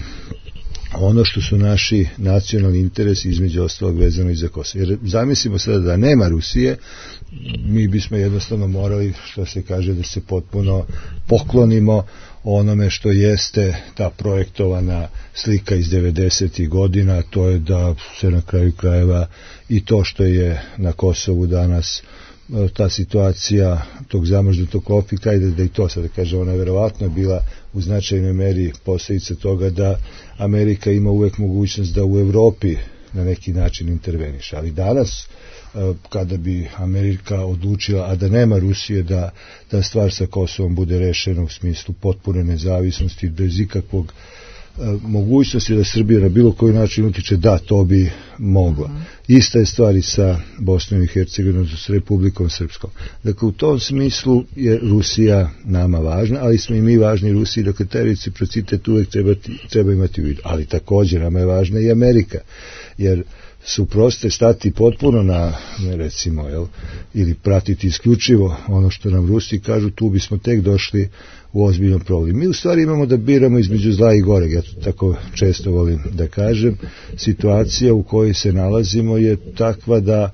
ono što su naši nacionalni interesi između ostalog vezano i za Kosovo. Jer zamislimo sada da nema Rusije, mi bismo jednostavno morali, što se kaže, da se potpuno poklonimo onome što jeste ta projektovana slika iz 90. godina, to je da se na kraju krajeva i to što je na Kosovu danas ta situacija tog zamrznutog konflikta, da i to sada kaže, ona je verovatno bila u značajnoj meri posljedica toga da Amerika ima uvek mogućnost da u Evropi na neki način interveniše. Ali danas, kada bi Amerika odlučila, a da nema Rusije, da stvar sa Kosovom bude rešena u smislu potpune nezavisnosti, bez ikakvog mogućnosti da Srbija na bilo koji način utiče, da, to bi mogla. Ista je stvar i sa Bosnom i Hercegovinom, s Republikom Srpskom. Dakle, u tom smislu je Rusija nama važna, ali smo i mi važni Rusiji, dakle, taj reciprocitet uvek treba imati u vidu. Ali također nama je važna i Amerika, jer su proste stati potpuno na, recimo, ili pratiti isključivo ono što nam Rusi kažu, tu bismo tek došli u ozbiljnom problemu. Mi u stvari imamo da biramo između zla i goreg, ja to tako često volim da kažem. Situacija u kojoj se nalazimo je takva da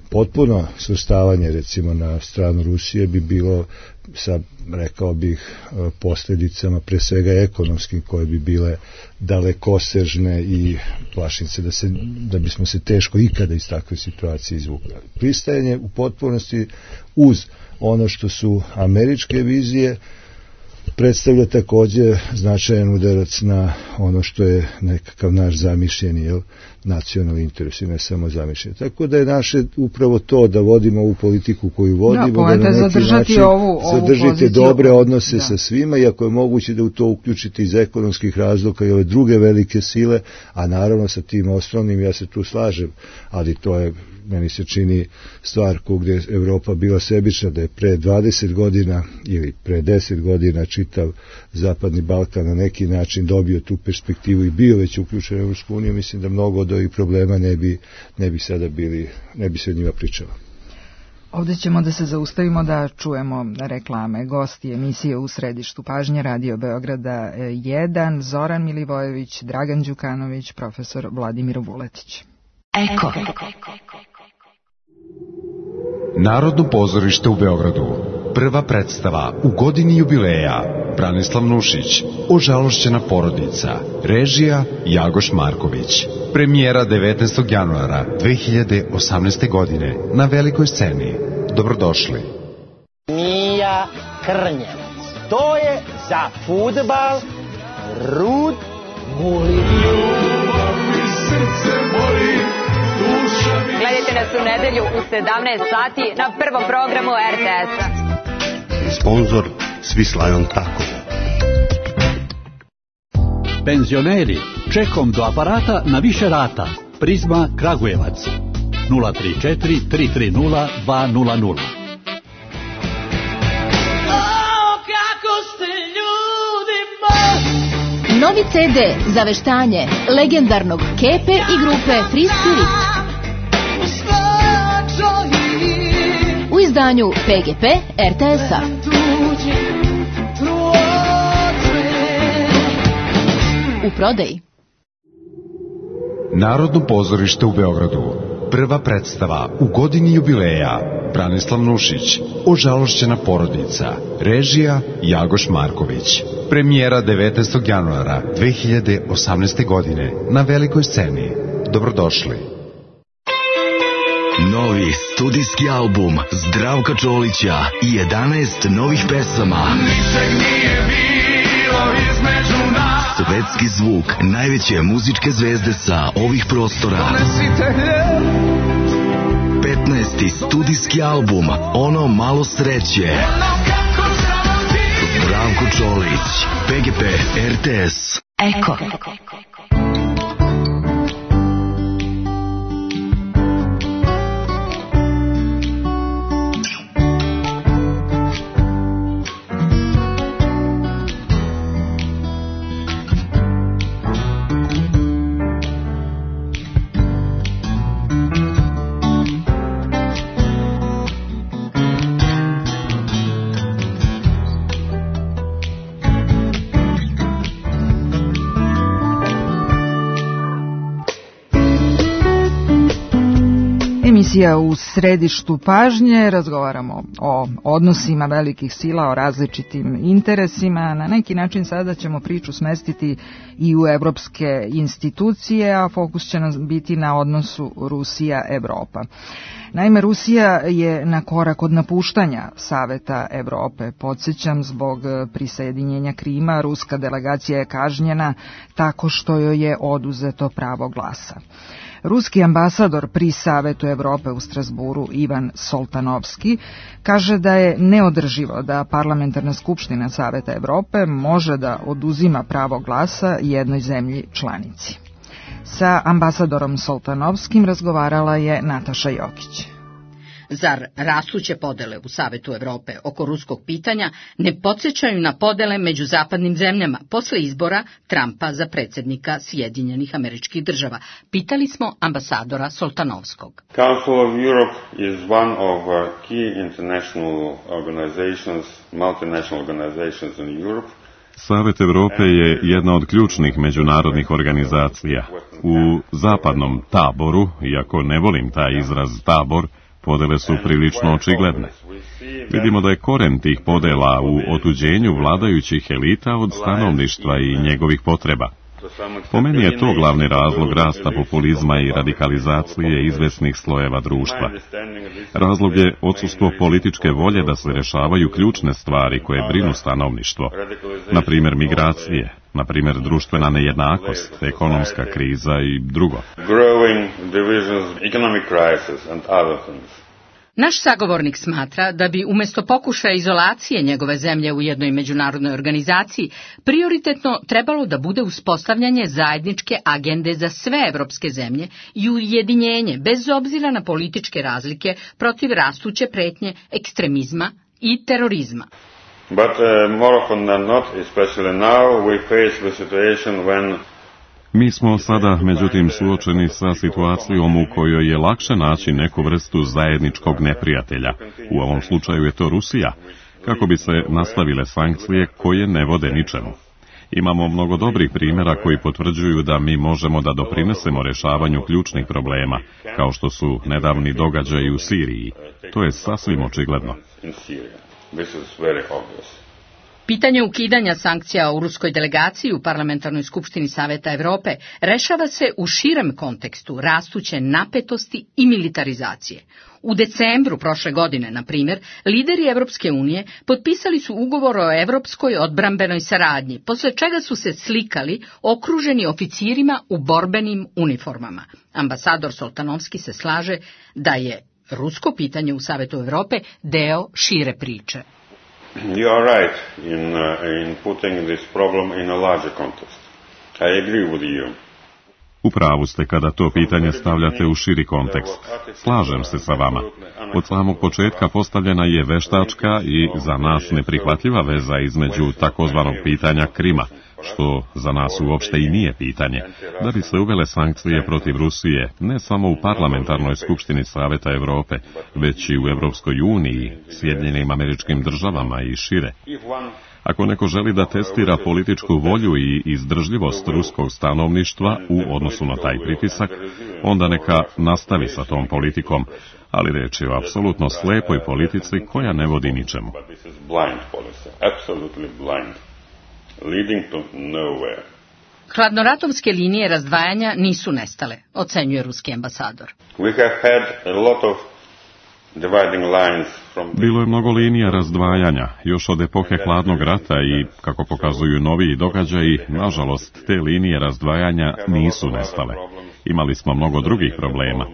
potpuno svrstavanje recimo na stranu Rusije bi bilo sa, rekao bih, posljedicama pre svega ekonomskim koje bi bile dalekosežne i plašim se da bismo se teško ikada iz takve situacije izvukli. Pristajanje u potpunosti uz ono što su američke vizije predstavlja također značajan udarac na ono što je nekakav naš zamišljeni nacionalni interes i ne samo zamišljeni. Tako da je naše upravo to da vodimo ovu politiku koju vodimo, da na neki način zadržite dobre odnose sa svima i ako je moguće da u to uključite iz ekonomskih razloga i ove druge velike sile, a naravno sa tim osnovnim ja se tu slažem, ali to je, meni se čini, stvar gdje je Evropa bila sebična, da je pre 20 godina ili pre 10 godina čitav Zapadni Balkan na neki način dobio tu perspektivu i bio već uključen u Evropsku uniju, mislim da mnogo od ovih problema ne bi sada bili, ne bi se o njima pričalo. Ovdje ćemo da se zaustavimo da čujemo reklame. Gosti emisije U središtu pažnje Radio Beograda 1, Zoran Milivojević, Dragan Đukanović, profesor Vladimir Vuletić. Eko. Narodno pozorište u Beogradu. Prva predstava u godini jubileja. Branislav Nušić, Ožalošćena porodica. Režija Jagoš Marković. Premijera 19. januara 2018. godine na velikoj sceni. Dobrodošli. Mija Krnjevac. To je za fudbal Rud Gulin. Gledajte u nedelju u 17 sati na prvom programu RTS-a. Sponzor Svislajon Tako. Penzioneri, čekom do aparata na više rata. Prizma Kragujevac 034 330 200. Novi CD za veštanje legendarnog Kepe i grupe Free Spirit u izdanju PGP RTS-a. U prodaji. Narodno pozorište u Beogradu. Prva predstava u godini jubileja. Branislav Nušić, Ožalošćena porodica. Režija Jagoš Marković. Premijera 19. januara 2018. godine na velikoj sceni. Dobrodošli. Novi studijski album Zdravka Čolića i 11 novih pesama. Ničeg nije bilo između nas. Svetski zvuk najveće muzičke zvezde sa ovih prostora. 15. studijski album Ono malo sreće. Zdravko Čolić, PGP RTS. Eko. Emisija u središtu pažnje, razgovaramo o odnosima velikih sila, o različitim interesima. Na neki način sada ćemo priču smestiti i u evropske institucije, a fokus će nas biti na odnosu Rusija-Evropa. Naime, Rusija je na korak od napuštanja Saveta Evrope. Podsjećam, zbog prisajedinjenja Krima, ruska delegacija je kažnjena tako što joj je oduzeto pravo glasa. Ruski ambasador pri Savetu Evrope u Strasburu Ivan Soltanovski kaže da je neodrživo da Parlamentarna skupština Saveta Evrope može da oduzima pravo glasa jednoj zemlji članici. Sa ambasadorom Soltanovskim razgovarala je Nataša Jokić. Zar rastuće podele u Savetu Evrope oko ruskog pitanja ne podsjećaju na podele među zapadnim zemljama posle izbora Trumpa za predsjednika Sjedinjenih Američkih Država? Pitali smo ambasadora Soltanovskog. Council of Europe is one of key international organizations, multinational organizations in Europe. Savet Evrope je jedna od ključnih međunarodnih organizacija. U zapadnom taboru, iako ne volim taj izraz tabor, podele su prilično očigledne. Vidimo da je koren tih podela u otuđenju vladajućih elita od stanovništva i njegovih potreba. Po meni je to glavni razlog rasta populizma i radikalizacije izvesnih slojeva društva. Razlog je odsustvo političke volje da se rešavaju ključne stvari koje brinu stanovništvo, na primjer migracije, na primjer društvena nejednakost, ekonomska kriza i drugo. Naš sagovornik smatra da bi umjesto pokušaja izolacije njegove zemlje u jednoj međunarodnoj organizaciji prioritetno trebalo da bude uspostavljanje zajedničke agende za sve evropske zemlje i ujedinjenje bez obzira na političke razlike protiv rastuće pretnje ekstremizma i terorizma. But more often than not, especially now, we face the situation when Mi smo sada, međutim, suočeni sa situacijom u kojoj je lakše naći neku vrstu zajedničkog neprijatelja. U ovom slučaju je to Rusija, kako bi se nastavile sankcije koje ne vode ničemu. Imamo mnogo dobrih primjera koji potvrđuju da mi možemo da doprinesemo rešavanju ključnih problema, kao što su nedavni događaji u Siriji. To je sasvim očigledno. Pitanje ukidanja sankcija u ruskoj delegaciji u Parlamentarnoj skupštini Saveta Evrope rešava se u širem kontekstu rastuće napetosti i militarizacije. U decembru prošle godine, na primjer, lideri Evropske unije potpisali su ugovor o evropskoj odbrambenoj saradnji, posle čega su se slikali okruženi oficirima u borbenim uniformama. Ambasador Soltanovski se slaže da je rusko pitanje u Savetu Evrope deo šire priče. You are right in putting this problem in a larger context. I agree with you. U pravu ste kada to pitanje stavljate u širi kontekst. Slažem se sa vama. Od samog početka postavljena je veštačka i za nas neprihvatljiva veza između takozvanog pitanja Krima, što za nas uopšte i nije pitanje, da bi se uvele sankcije protiv Rusije, ne samo u Parlamentarnoj skupštini Saveta Evrope, već i u Evropskoj uniji, Sjedinjenim Američkim Državama i šire. Ako neko želi da testira političku volju i izdržljivost ruskog stanovništva u odnosu na taj pritisak, onda neka nastavi sa tom politikom, ali reč je o apsolutno slepoj politici koja ne vodi ničemu. Hladnoratovske linije razdvajanja nisu nestale, ocenjuje ruski ambasador. Bilo je mnogo linija razdvajanja, još od epohe Hladnog rata i, kako pokazuju noviji događaji, nažalost, te linije razdvajanja nisu nestale. Imali smo mnogo drugih problema.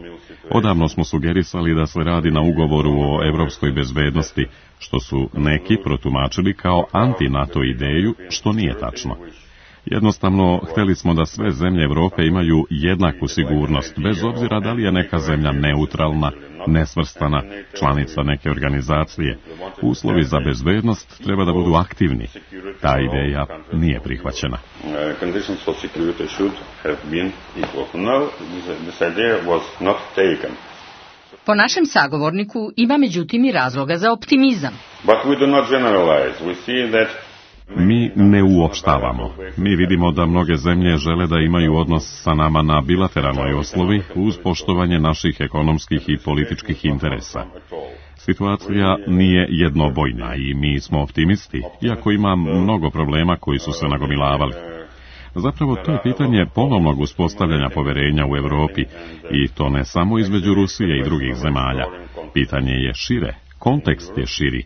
Odavno smo sugerisali da se radi na ugovoru o evropskoj bezbednosti, što su neki protumačili kao anti-NATO ideju, što nije tačno. Jednostavno, hteli smo da sve zemlje Evrope imaju jednaku sigurnost, bez obzira da li je neka zemlja neutralna, nesvrstana, članica neke organizacije. Uslovi za bezbednost treba da budu aktivni. Ta ideja nije prihvaćena. Po našem sagovorniku ima međutim i razloga za optimizam. Mi ne uopštavamo. Mi vidimo da mnoge zemlje žele da imaju odnos sa nama na bilateralnoj osnovi uz poštovanje naših ekonomskih i političkih interesa. Situacija nije jednobojna i mi smo optimisti, iako ima mnogo problema koji su se nagomilavali. Zapravo to je pitanje ponovnog uspostavljanja poverenja u Evropi i to ne samo između Rusije i drugih zemalja. Pitanje je šire, kontekst je širi.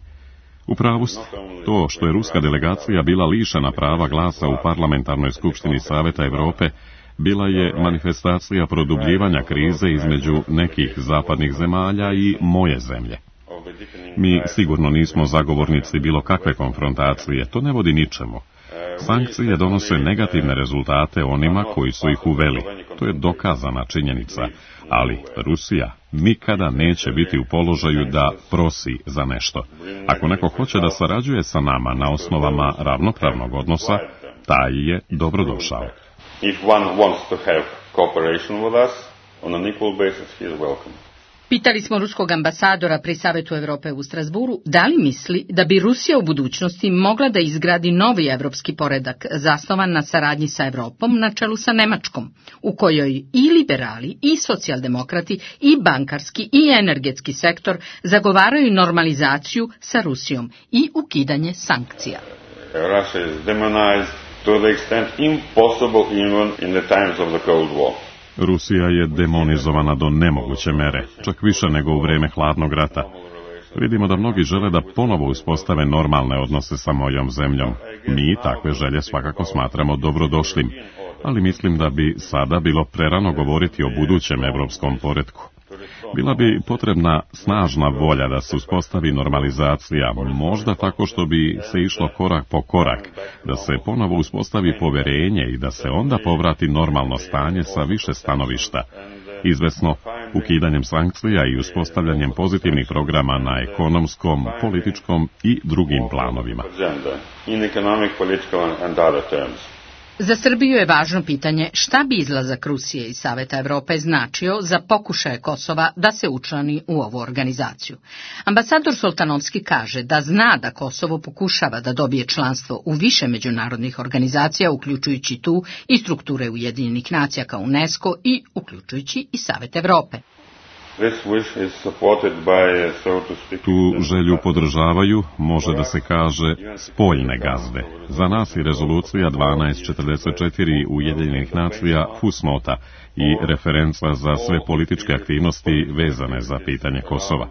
U pravu ste, to što je ruska delegacija bila lišena prava glasa u Parlamentarnoj skupštini Saveta Evrope, bila je manifestacija produbljivanja krize između nekih zapadnih zemalja i moje zemlje. Mi sigurno nismo zagovornici bilo kakve konfrontacije, to ne vodi ničemu. Sankcije donose negativne rezultate onima koji su ih uveli, to je dokazana činjenica, ali Rusija nikada neće biti u položaju da prosi za nešto. Ako neko hoće da sarađuje sa nama na osnovama ravnopravnog odnosa, taj je dobrodošao. If one wants to have cooperation with us on an equal basis, he is welcome. Pitali smo ruskog ambasadora pri Savetu Evrope u Strasburu da li misli da bi Rusija u budućnosti mogla da izgradi novi evropski poredak zasnovan na saradnji sa Evropom na čelu sa Nemačkom, u kojoj i liberali, i socijaldemokrati, i bankarski, i energetski sektor zagovaraju normalizaciju sa Rusijom i ukidanje sankcija. Russia is demonized to the extent impossible even in the times of the Cold War. Rusija je demonizovana do nemoguće mere, čak više nego u vreme Hladnog rata. Vidimo da mnogi žele da ponovo uspostave normalne odnose sa mojom zemljom. Mi takve želje svakako smatramo dobrodošlim, ali mislim da bi sada bilo prerano govoriti o budućem evropskom poretku. Bila bi potrebna snažna volja da se uspostavi normalizacija, možda tako što bi se išlo korak po korak, da se ponovo uspostavi poverenje i da se onda povrati normalno stanje sa više stanovišta. Izvesno, ukidanjem sankcija i uspostavljanjem pozitivnih programa na ekonomskom, političkom i drugim planovima. Za Srbiju je važno pitanje šta bi izlazak Rusije iz Saveta Evrope značio za pokušaje Kosova da se učlani u ovu organizaciju. Ambasador Soltanovski kaže da zna da Kosovo pokušava da dobije članstvo u više međunarodnih organizacija, uključujući tu i strukture Ujedinjenih nacija kao UNESCO i uključujući i Savet Evrope. Tu želju podržavaju, može da se kaže, spoljne gazde. Za nas je rezolucija 1244 Ujedinjenih nacija fusnota i referenca za sve političke aktivnosti vezane za pitanje Kosova.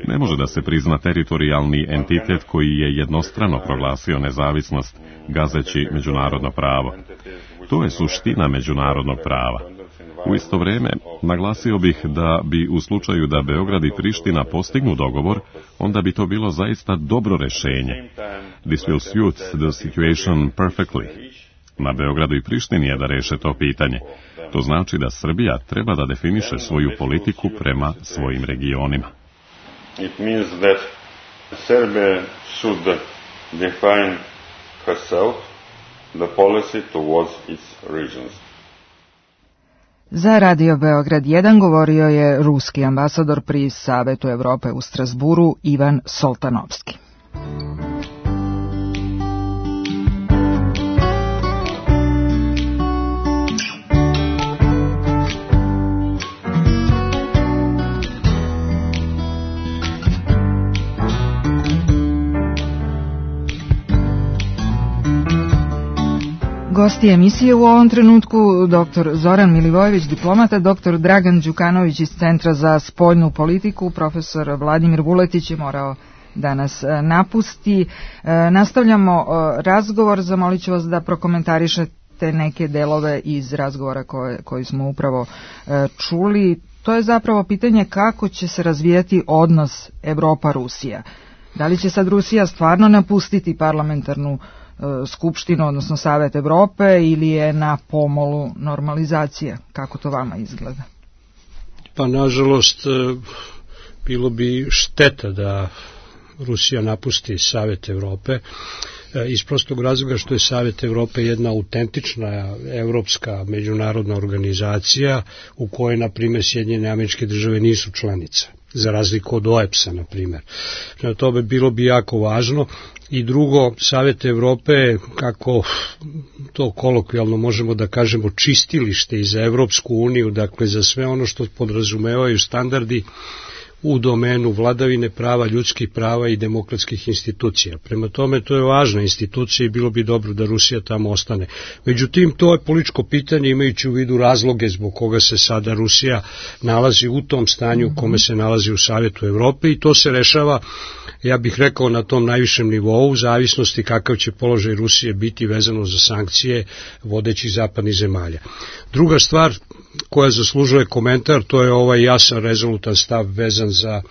Ne može da se prizna teritorijalni entitet koji je jednostrano proglasio nezavisnost gazeći međunarodno pravo. To je suština međunarodnog prava. U isto vrijeme, naglasio bih da bi u slučaju da Beograd i Priština postignu dogovor, onda bi to bilo zaista dobro rešenje. This will suit the situation perfectly. Na Beogradu i Prištini je da reše to pitanje. To znači da Srbija treba da definiše svoju politiku prema svojim regionima. It means that Serbia should define herself the policy towards its regions. Za Radio Beograd 1 govorio je ruski ambasador pri Savetu Evrope u Strasburu Ivan Soltanovski. Gosti emisije u ovom trenutku dr. Zoran Milivojević, diplomata, dr. Dragan Đukanović iz Centra za spoljnu politiku, profesor Vladimir Vuletić je morao da nas napusti. Nastavljamo razgovor, zamolit ću vas da prokomentarišete neke delove iz razgovora koji smo upravo čuli. To je zapravo pitanje kako će se razvijati odnos Evropa-Rusija. Da li će sad Rusija stvarno napustiti parlamentarnu Skupštinu, odnosno Savet Evrope, ili je na pomolu normalizacije? Kako to vama izgleda? Pa, nažalost, bilo bi šteta da Rusija napusti Savet Evrope, iz prostog razloga što je Savet Evrope jedna autentična evropska međunarodna organizacija u kojoj, na primjer, Sjedinjene Američke Države nisu članice, za razliku od OEBS-a, na primjer. To bi bilo jako važno. I drugo, Savet Evrope, kako to kolokvijalno možemo da kažemo, čistilište i za Evropsku uniju, dakle za sve ono što podrazumevaju standardi u domenu vladavine prava, ljudskih prava i demokratskih institucija. Prema tome, to je važna institucija i bilo bi dobro da Rusija tamo ostane. Međutim, to je političko pitanje, imajući u vidu razloge zbog koga se sada Rusija nalazi u tom stanju u kome se nalazi u Savetu Evrope, i to se rešava, ja bih rekao, na tom najvišem nivou, u zavisnosti kakav će položaj Rusije biti vezano za sankcije vodećih zapadnih zemalja. Druga stvar koja zaslužuje komentar, to je ovaj jasan rezolutan stav vezan za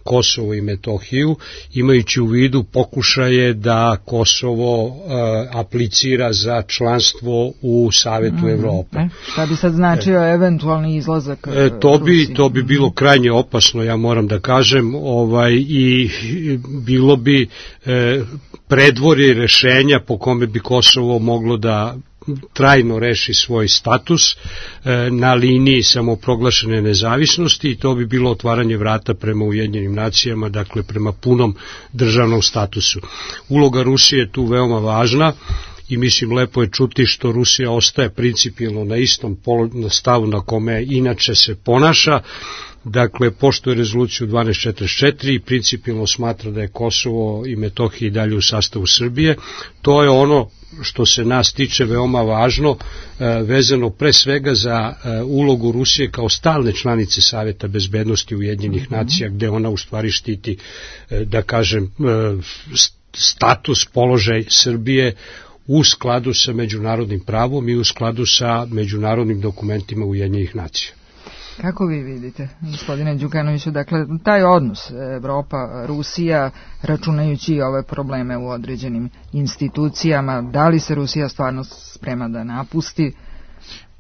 Kosovo i Metohiju, imajući u vidu pokušaje da Kosovo aplicira za članstvo u Savetu Evrope. Šta bi sad značio eventualni izlazak To bi bilo krajnje opasno, ja moram da kažem, i bilo bi predvorje rešenja po kome bi Kosovo moglo da trajno reši svoj status na liniji samoproglašene nezavisnosti, i to bi bilo otvaranje vrata prema Ujedinjenim nacijama, dakle prema punom državnom statusu. Uloga Rusije je tu veoma važna i mislim lepo je čuti što Rusija ostaje principijelno na istom stavu na kome inače se ponaša. Dakle, poštuje rezoluciju 1244 i principijelno smatra da je Kosovo i Metohija i dalje u sastavu Srbije. To je ono što se nas tiče veoma važno, vezano pre svega za ulogu Rusije kao stalne članice Saveta bezbednosti Ujedinjenih nacija, gde ona u stvari štiti, da kažem, status, položaj Srbije u skladu sa međunarodnim pravom i u skladu sa međunarodnim dokumentima Ujedinjenih nacija. Kako vi vidite, gospodine Đukanoviću, dakle, taj odnos Evropa-Rusija, računajući ove probleme u određenim institucijama, da li se Rusija stvarno sprema da napusti?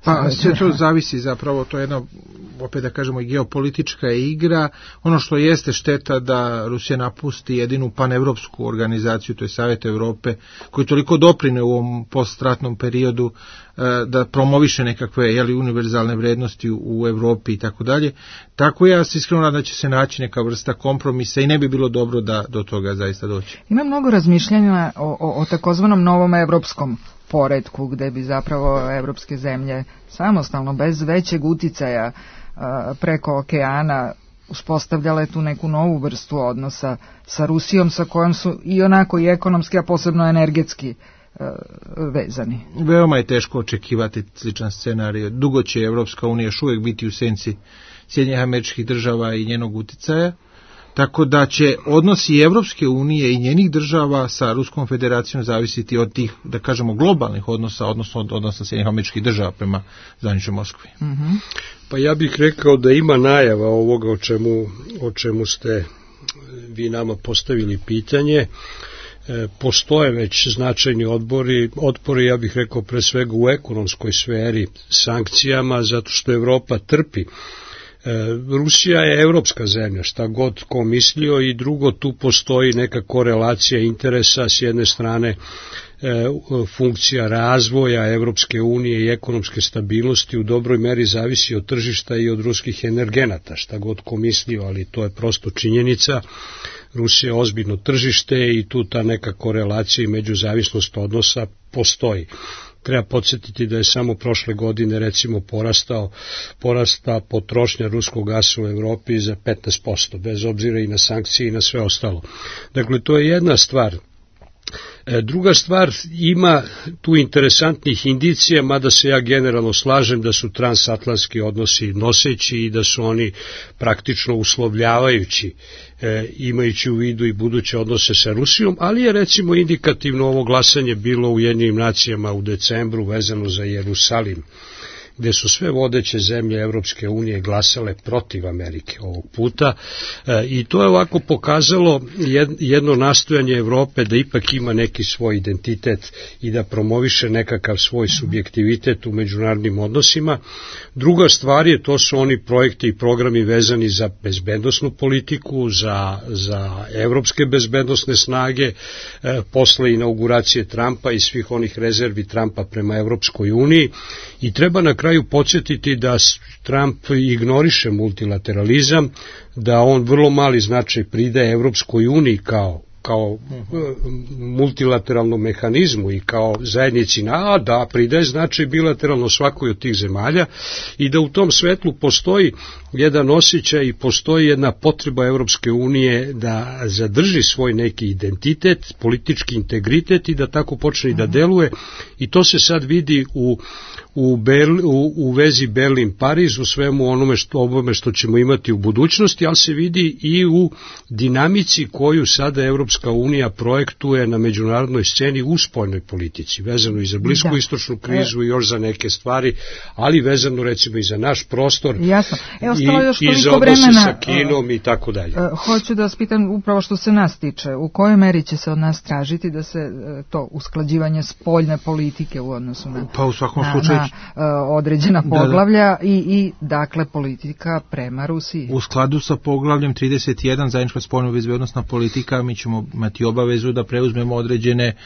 Pa sve to zavisi zapravo, to je jedna, opet da kažemo, i geopolitička igra. Ono što jeste šteta da Rusija napusti jedinu panevropsku organizaciju, to je Savet Evrope, koji toliko doprine u ovom postratnom periodu da promoviše nekakve univerzalne vrednosti u Evropi i tako dalje. Tako ja se iskreno nadam da će se naći neka vrsta kompromisa i ne bi bilo dobro da do toga zaista doći. Ima mnogo razmišljanja o takozvanom novom evropskom poretku, gde bi zapravo evropske zemlje samostalno, bez većeg uticaja preko okeana uspostavljale tu neku novu vrstu odnosa sa Rusijom, sa kojom su i onako i ekonomski, a posebno energetski vezani. Veoma je teško očekivati sličan scenarij. Dugo će Evropska unija još uvijek biti u senci Sjedinjenih Američkih Država i njenog uticaja, tako da će odnosi Evropske unije i njenih država sa Ruskom federacijom zavisiti od tih, da kažemo, globalnih odnosa, odnosno od odnosa Sjedinjenih Američkih Država prema zvaničnoj Moskvi. Mm-hmm. Pa ja bih rekao da ima najava ovoga o čemu ste vi nama postavili pitanje. Postoje već značajni otpori, ja bih rekao pre svega u ekonomskoj sferi, sankcijama, zato što Evropa trpi. Rusija je evropska zemlja, šta god ko mislio, i drugo, tu postoji neka korelacija interesa, s jedne strane funkcija razvoja Evropske unije i ekonomske stabilnosti u dobroj meri zavisi od tržišta i od ruskih energenata, šta god ko mislio, ali to je prosto činjenica. Rusija je ozbiljno tržište i tu ta neka korelacija i međuzavisnost odnosa postoji. Treba podsjetiti da je samo prošle godine recimo porasta potrošnja ruskog gasa u Evropi za 15%, bez obzira i na sankcije i na sve ostalo. Dakle, to je jedna stvar. Druga stvar, ima tu interesantnih indicija, mada se ja generalno slažem da su transatlantski odnosi noseći i da su oni praktično uslovljavajući, imajući u vidu i buduće odnose sa Rusijom, ali je recimo indikativno ovo glasanje bilo u Ujedinjenim nacijama u decembru vezano za Jerusalim, gde su sve vodeće zemlje Evropske unije glasale protiv Amerike ovog puta, i to je ovako pokazalo jedno nastojanje Evrope da ipak ima neki svoj identitet i da promoviše nekakav svoj subjektivitet u međunarodnim odnosima. Druga stvar je, to su oni projekti i programi vezani za bezbednosnu politiku, za evropske bezbednosne snage, posle inauguracije Trumpa i svih onih rezervi Trumpa prema Evropskoj uniji, i treba na kraju podsjetiti da Trump ignoriše multilateralizam, da on vrlo mali značaj pridaje Evropskoj uniji kao multilateralnom mehanizmu i kao zajednici, da pridaje značaj bilateralno svakoj od tih zemalja, i da u tom svetlu postoji jedan osjećaj i postoji jedna potreba Evropske unije da zadrži svoj neki identitet, politički integritet i da tako počne i da deluje, i to se sad vidi u vezi Berlin-Pariz, u svemu onome što ćemo imati u budućnosti, ali se vidi i u dinamici koju sada Evropska unija projektuje na međunarodnoj sceni u spoljnoj politici, vezano i za blisku istočnu krizu i još za neke stvari, ali vezano recimo i za naš prostor. Jasno. I za odnose sa Kinom i tako dalje. Hoću da vas pitam upravo što se nas tiče, u kojoj meri će se od nas tražiti da se to usklađivanje spoljne politike u odnosu na, u svakom slučaju, određena poglavlja i dakle politika prema Rusiji. U skladu sa poglavljem 31 zajednička spoljna i bezbednosna politika mi ćemo imati obavezu da preuzmemo određene,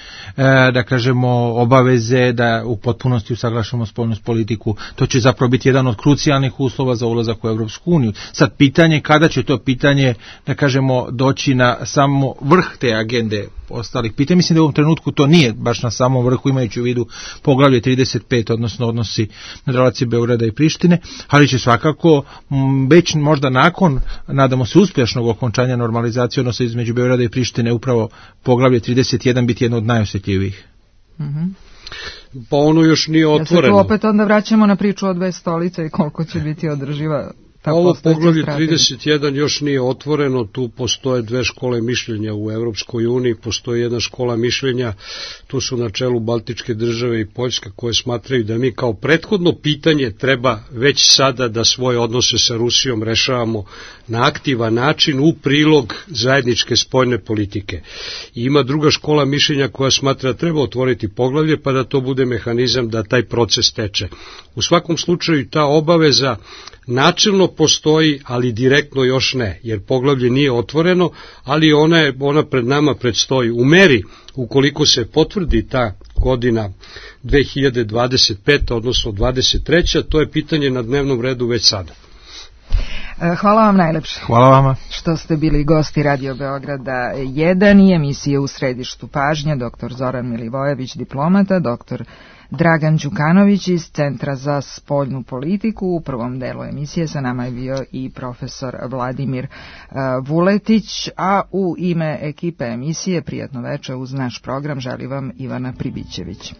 da kažemo, obaveze da u potpunosti usaglašamo spoljnu politiku. To će zapravo biti jedan od krucijalnih uslova za ulazak u Evropsku uniju. Sad pitanje kada će to pitanje, da kažemo, doći na samo vrh te agende ostalih pitanja. Mislim da u ovom trenutku to nije baš na samom vrhu, imajući u vidu poglavlje 35, odnosno odnosi na relacije Beograda i Prištine, ali će svakako već možda nakon, nadamo se, uspješnog okončanja normalizacije odnosa između Beograda i Prištine upravo poglavlje 31 biti jedno od najosjetljivijih. Pa ono još nije otvoreno. Da se tu opet onda vraćamo na priču o dve stolice i koliko će biti održiva. Ovo poglavlje 31 još nije otvoreno, tu postoje dve škole mišljenja u Evropskoj uniji, postoji jedna škola mišljenja, tu su na čelu Baltičke države i Poljska, koje smatraju da mi kao prethodno pitanje treba već sada da svoje odnose sa Rusijom rešavamo na aktivan način u prilog zajedničke spoljne politike. I ima druga škola mišljenja koja smatra da treba otvoriti poglavlje pa da to bude mehanizam da taj proces teče. U svakom slučaju ta obaveza načelno postoji, ali direktno još ne, jer poglavlje nije otvoreno, ali ona pred nama predstoji u meri ukoliko se potvrdi ta godina 2025, odnosno 23. To je pitanje na dnevnom redu već sada. Hvala vam najlepše. Hvala vama. Što ste bili gosti Radio Beograda 1 i emisije U središtu pažnje, dr. Zoran Milivojević, diplomata, dr. Dragan Đukanović iz Centra za spoljnu politiku. U prvom delu emisije sa nama je bio i profesor Vladimir Vuletić, a u ime ekipe emisije Prijatno veče uz naš program želi vam Ivana Pribićević.